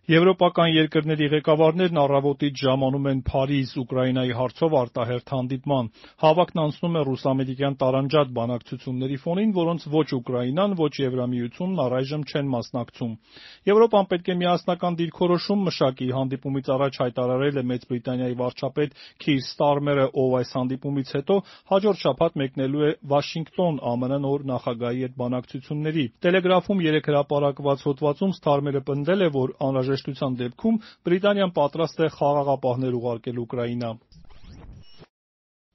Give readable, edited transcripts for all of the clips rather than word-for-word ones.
Եվրոպական երկրների ղեկավարներն առավոտից ժամանում են Փարիզ Ուկրաինայի հարցով արտահերթ հանդիպման։ Հավաքն անցնում է ռուս-ամերիկյան տարանջատ բանակցությունների ֆոնին, որոնց ոչ Ուկրաինան, ոչ Եվրամիությունն առայժմ չեն մասնակցում։ Եվրոպան պետք է միասնական դիրքորոշում մշակի, հանդիպումից առաջ հայտարարել է Մեծ Բրիտանիայի վարչապետ Քիր Ստարմերը, ով այս հանդիպումից հետո հաջորդ շաբաթ մեկնելու է Վաշինգտոն ԱՄՆ նոր նախագահի հետ բանակցությունների։ Տելեգրաֆում երեկ հրապարակված հոդվածում Ստարմերը պնդել է, որ անհրաժեշտության դեպքում Բրիտանիան պատրաստ է խաղաղապահներ ուղարկել Ուկրաինա։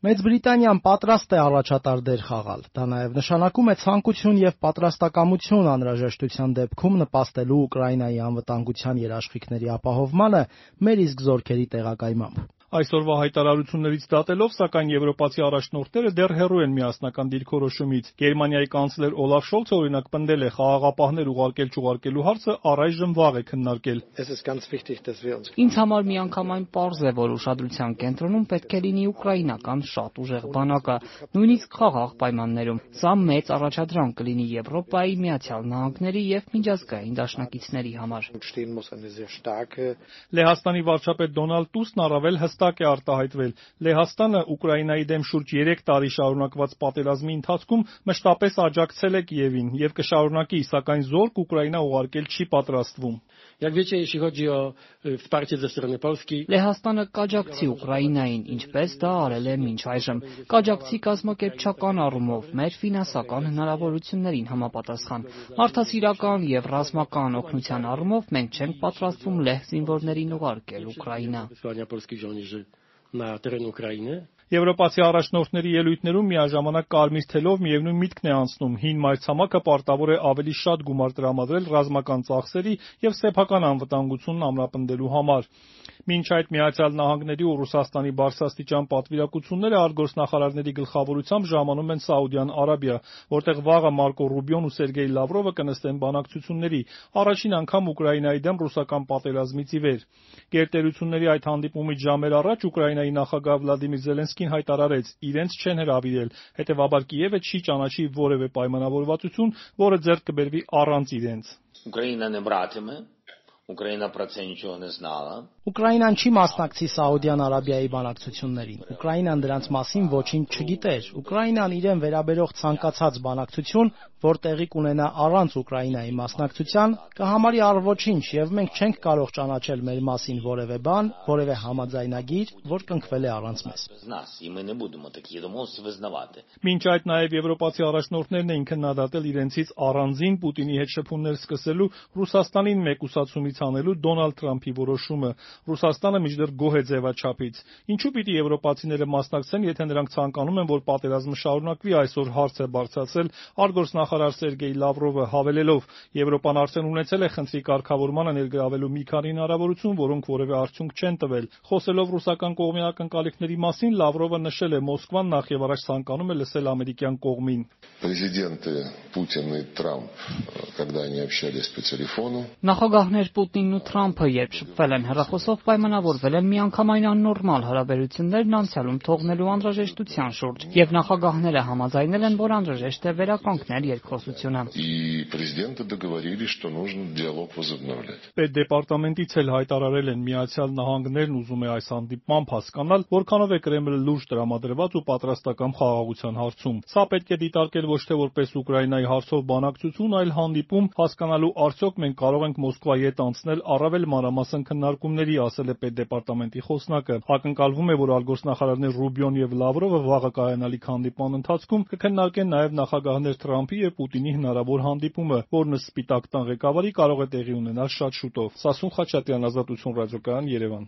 Մեծ Բրիտանիան պատրաստ է առաջատար դեր խաղալ։ Դա նաև նշանակում է ցանկություն եւ պատրաստակամություն անհրաժեշտության դեպքում նպաստելու Ուկրաինայի անվտանգության երաշխիքների ապահովմանը մեր իսկ զորքերի տեղակայմամբ։ Այսօրվա հայտարարություններից դատելով, սակայն եվրոպացի առաջնորդները դեռ հեռու են միասնական դիրքորոշումից։ Գերմանիայի կանցլեր Օլաֆ Շոլցը օրինակ պնդել է, խաղաղապահներ ուղարկել-չուղարկելու հարցը առայժմ վաղ է քննարկել։ Ինձ համար միանգամայն պարզ է, որ ուշադրության կենտրոնում պետք է լինի ուկրաինական շատ ուժեղ բանակը, նույնիսկ խաղաղ պայմաններում։ Սա մեծ առաջադրանք կլինի Եվրոպայի, Միացյալ Նահանգների եւ միջազգային դաշնակիցների համար։ Լեհաստանի վարչապետ Դոնալդ Տուսկն առավել հստակ է արտահայտվել։ Լեհաստանը Ուկրաինայի դեմ շուրջ 3 տարի շարունակված պատերազմի ընթացքում մշտապես աջակցել է Կիևին եւ կշարունակի, սակայն զորք Ուկրաինա ուղարկել չի պատրաստվում։ Լեհաստանը կաջակցի Ուկրաինային, ինչպես դա արել է մինչ այժմ։ Կաջակցի կազմակերպչական առումով, մեր ֆինանսական հնարավորություններին համապատասխան։ Մարդասիրական եւ ռազմական օգնության առումով մենք չենք պատրաստվում լեհ զինվորներին ուղարկել Ուկրաինա։ Եվրոպացի առաջնորդների ելույթներում միաժամանակ կարմիր թելով միևնույն միտքն է անցնում՝ հին մայրցամաքը պարտավոր է ավելի շատ գումար տրամադրել ռազմական ծախսերի եւ սեփական անվտանգությունն ամրապնդելու համար։ Մինչ այդ Միացյալ Նահանգների ու Ռուսաստանի բարձրաստիճան պատվիրակությունները արտգործնախարարների գլխավորությամբ ժամանում են Սաուդյան Արաբիա, որտեղ վաղը Մարկո Ռուբիոն ու Սերգեյ Լավրովը կնստեն բանակցությունների, առաջին անգամ Ուկրաինայի դեմ ռուսական պատերազմից ի վեր։ Գերտերությունների այդ հանդիպումից ժամեր առաջ Ուկրաինայի նախագահ Վլադիմիր Զելենսկին հայտարարեց՝ իրենց չեն հրավիրել, հետևաբար Կիևը չի ճանաչի որևէ պայմանավորվածություն, որը ձեռք կբերվի առանց իրենց։ Ուկրաինան չի մասնակցի Սաուդյան Արաբիայի բանակցություններին։ Ուկրաինան դրանց մասին ոչինչ չգիտեր։ Ուկրաինան իրեն վերաբերող ցանկացած բանակցություն, որ տեղի կունենա առանց Ուկրաինայի մասնակցության, կհամարի առ-ոչինչ, եւ մենք չենք կարող ճանաչել մեր մասին որևէ բան, որևէ համաձայնագիր, որ կնքվել է առանց մեզ։ Մինչ այդ նաև եվրոպացի առաջնորդներն էին քննադատել իրենցից առանձին Պուտինի հետ շփումներ սկսելու Ռուսաստանին մեկուսացումից հանելու Դոնալդ Թրամփի որոշումը։ Ռուսաստանը մինչդեռ գոհ է ձևաչափից։ Ինչու պիտի եվրոպացիները մասնակցեն, եթե նրանք ցանկանում են, որ պատերազմը շարունակվի, այսօր հարց է բարձրացրել արտգործնախարար Սերգեյ Լավրովը, հավելելով. Եվրոպան արդեն ունեցել է խնդրի կարգավորմանը ներգրավելու մի քանի հնարավորություն, որոնք որևէ արդյունք չեն տվել։ Խոսելով ռուսական կողմի ակնկալիքների մասին, Լավրովը նշել է. Մոսկվան նախևառաջ ցանկանում է լսել ամերիկյան կողմին։ Президенты Путин и Трамп, когда они общались по телефону, Նախագահներ Պուտինն ու Թրամփը երբ շփվել են հեռախոսով, պայմանավորվել են միանգամայն աննորմալ հարաբերություններն անցյալում թողնելու անհրաժեշտության շուրջ, եւ նախագահները համաձայնել են, որ անհրաժեշտ է վերականգնել երկխոսությունը։ и президенты договорились, что нужно диалог возобновлять. Պետդեպարտամենտից էլ հայտարարել են Միացյալ Նահանգներն ուզում է այս հանդիպմամբ հասկանալ, որքանով է Կրեմլը լուրջ տրամադրված ու պատրաստական խաղաղության հարցում։ Սա պետք է դիտարկել ոչ թե որպես Ուկրաինայի հարցով բանակցություն, այլ հանդիպում, հասկանալու արդյոք մենք կարող ենք Մոսկվայի հետ անցնել առավել մանրամասն քննարկումների, ասել է պետդեպարտամենտի խոսնակը։ Ակնկալվում է, որ արտգործնախարարներ Ռուբիոն եւ Լավրովը վաղը կայանալիք հանդիպման ընթացքում կքննարկեն նաեւ նախագահներ Թրամփի եւ Պուտինի հնարավոր հանդիպումը, որն ըստ Սպիտակ տան ղեկավարի կարող է տեղի ունենալ շատ շուտով։ Սասուն Խաչատրյան, Ազատություն ռադիոկայան, Երևան։